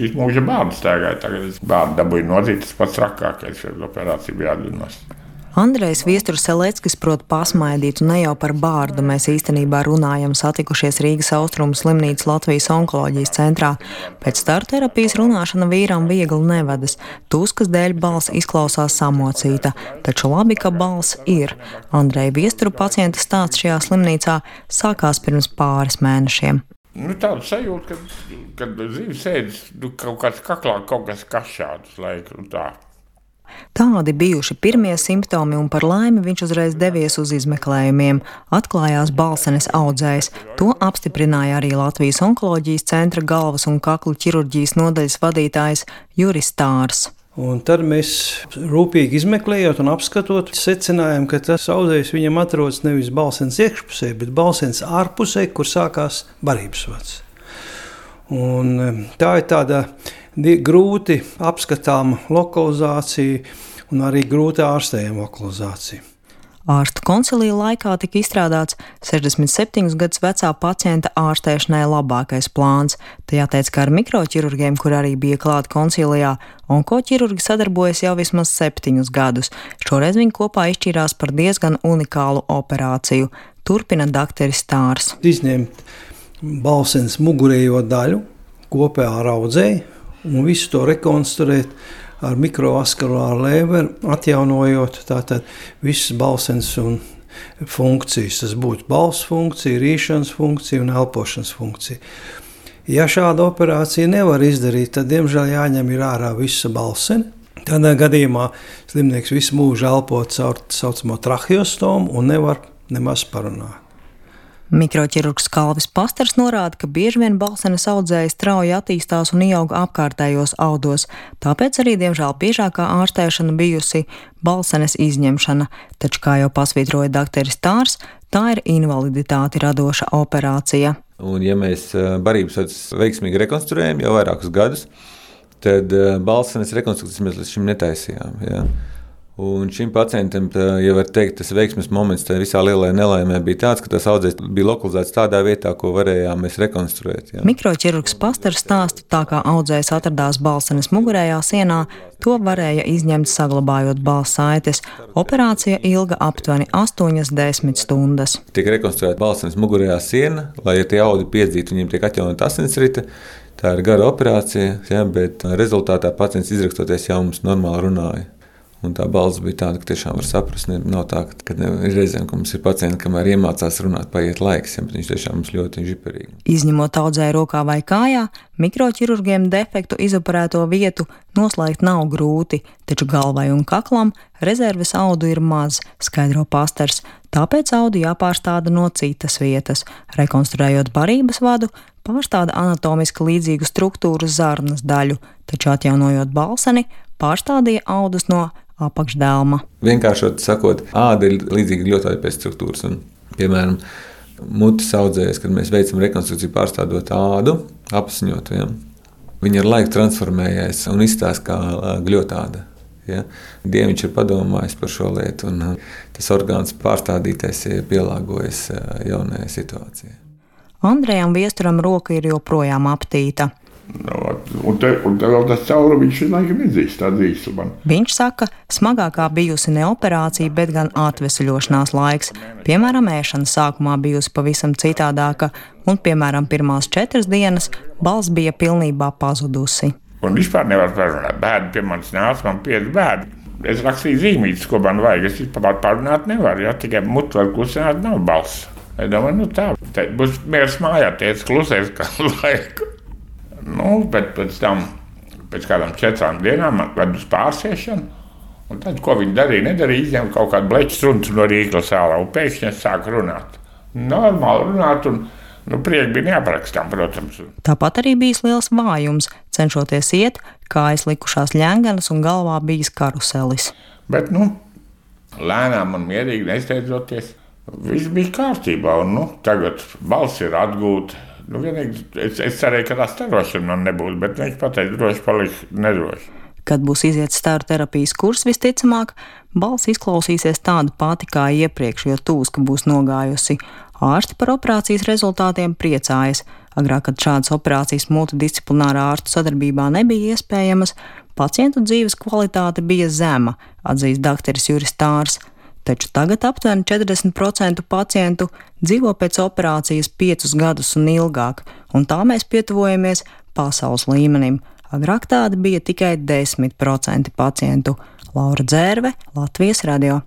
Visu mūžu bērnu staigāja. Tagad bērnu dabūja nozīt, tas pats trakākais, jo operācija bija atļunos. Andrejs Viesturs-Seleckis prot pasmaidīt, un ne jau par bārdu mēs īstenībā runājam, satikušies Rīgas Austrumu slimnīcas Latvijas onkoloģijas centrā. Pēc startterapijas runāšana vīram viegli nevedas. Tuskas dēļ balss izklausās samocīta, taču labi, ka balss ir. Andreja Viesturu pacienta stāsts šajā slimnīcā sākās pirms pāris mēnešiem. Tāda sajūta, kad dzīves sēdis kaut kāds kaklā, kaut kas kašādus laiku un tā. Tādi bijuši pirmie simptomi, un par laimi viņš uzreiz devies uz izmeklējumiem. Atklājās balsenes audzējs. To apstiprināja arī Latvijas onkoloģijas centra galvas un kaklu ķirurģijas nodaļas vadītājs Juris Stārs. Un tad mēs rūpīgi izmeklējot un apskatot, secinājām, ka tas audzējs viņam atrodas nevis balsenes iekšpusē, bet balsenes ārpusē, kur sākās barības vads. Un tā ir tāda grūti apskatāma lokalizācija un arī grūti ārstējama lokalizācija. Ārstu koncilija laikā tika izstrādāts 67 gadus vecā pacienta ārstēšanai labākais plāns. Te jāteic, ka ar mikroķirurgiem, kur arī bija klāt koncilijā, onkoķirurgi sadarbojas jau vismaz 7 gadus. Šoreiz viņi kopā izšķīrās par diezgan unikālu operāciju. Turpina dakteris Stārs. Izņemt balsenes mugurējo daļu kopā ar audzēju un visu to rekonstruēt ar mikrovaskulāru lēveru, atjaunojot tātad visas balsenes un funkcijas. Tas būtu balss funkcija, rīšanas funkcija un elpošanas funkcija. Ja šāda operācija nevar izdarīt, tad, diemžēl, jāņem ārā visa balsene. Tādā gadījumā slimnieks visu mūžu elpo caur tā saucamo traheostomu un nevar nemaz parunāt. Mikroķirurgs Kalvis Pastars norāda, ka bieži vien balsenes audzēji strauji attīstās un ieauga apkārtējos audos, tāpēc arī, diemžēl, biežākā ārstēšana bijusi balsenes izņemšana, taču, kā jau pasvītroja dakteris Stārs, tā ir invaliditāti radoša operācija. Un, ja mēs barības vadus veiksmīgi rekonstruējam jau vairākus gadus, tad balsenes rekonstrukcijas mēs līdz šim netaisījām. Ja? Un šim pacientam, ja var teikt, tas veiksmes moments tajā visā lielajā nelaimē bija tāds, ka tas audzējs bija lokalizēts tādā vietā, ko varējām mēs rekonstruēt. Ja. Mikroķirurgs Pastars stāsta, tā kā audzējs atradās balsenes mugurējā sienā, to varēja izņemt saglabājot balss saites. Operācija ilga aptuveni 8–10 stundas. Tiek rekonstruēta balsenes mugurējā siena, lai ja tie audi piedzītu, viņiem tiek atjaunota asinsrite. Tā ir gara operācija, ja, bet rezultātā pacients izrakstoties jau mums normāli runāja. Un tā balss bija tāda, ka tiešām var saprast. Nav tā, ka ir reizēm, ka mums ir pacienti, kamēr iemācās runāt, paiet laiks, ja, bet viņš tiešām mums ļoti žiperīgi. Izņemot audzēju rokā vai kājā, mikroķirurgiem defektu izoperēto vietu noslēgt nav grūti, taču galvai un kaklam rezerves audu ir maz, skaidro Pastars. Tāpēc audu jāpārstāda no citas vietas. Rekonstruējot barības vadu, pārstāda anatomiski līdzīgu struktūru zarnas daļu, taču atjaunojot balseni, pārstādīja audus no apakšdēlma. Vienkāršot sakot, āda ir līdzīga ļoti pēc struktūras. Un, piemēram, mutes audzējas, kad mēs veicam rekonstrukciju pārstādot ādu, apsiņot, ja, viņa ar laiku transformējas un izstāsta kā gļotāda. Ja. Dieviņš ir padomājis par šo lietu, un tas orgāns pārstādītais pielāgojas jaunajai situācijai. Andrejam Viesturam roka ir joprojām aptīta. Un te vēl tas caurumiņš laikam izdzīst, tā dzīst man. Viņš saka, smagākā bijusi ne operācija, bet gan atveseļošanās laiks. Piemēram, ēšana sākumā bijusi pavisam citādāka, un, piemēram, pirmās 4 dienas balss bija pilnībā pazudusi. Un vispār nevar parunāt. Bērni pie manis nāca, man 5 bērni. Es rakstīju zīmītes, ko man vajag. Es vispār parunāt nevaru, ja tikai mutu var klusināt, nav balss. Es domāju, tā būs miers mājā, teica klusēs kā laiku. Bet pēc tam, pēc kādām 4 dienām man ved uz pārsiešanu, un tad, ko viņi nedarīja, izņēma kaut kādu bleķu struntu no rīkla sālā, un pēkšņi es sāku runāt. Normāli runāt, un prieki bija neaprakstām, protams. Tāpat arī bijis liels vājums, cenšoties iet, kājas likušās ļenganas un galvā bijis karuselis. Bet, lēnām un mierīgi nesteidzoties, viss bija kārtībā, un, tagad balss ir atgūta. Vienīgi es cerēju, ka tā starošana man nebūs, bet viņš pateica, droši paliks nedroši. Kad būs iziet staru terapijas kurs, visticamāk, balss izklausīsies tāda pati kā iepriekš, jo tūska būs nogājusi. Ārsti par operācijas rezultātiem priecājas. Agrāk, kad šādas operācijas multidisciplinārā ārstu sadarbībā nebija iespējamas, pacientu dzīves kvalitāte bija zema, atzīst dakteris Juris Tārs. Taču tagad aptuveni 40% pacientu dzīvo pēc operācijas 5 gadus un ilgāk, un tā mēs pietuvojamies pasaules līmenim. Agrāk tādi bija tikai 10% pacientu. Laura Dzērve, Latvijas radio.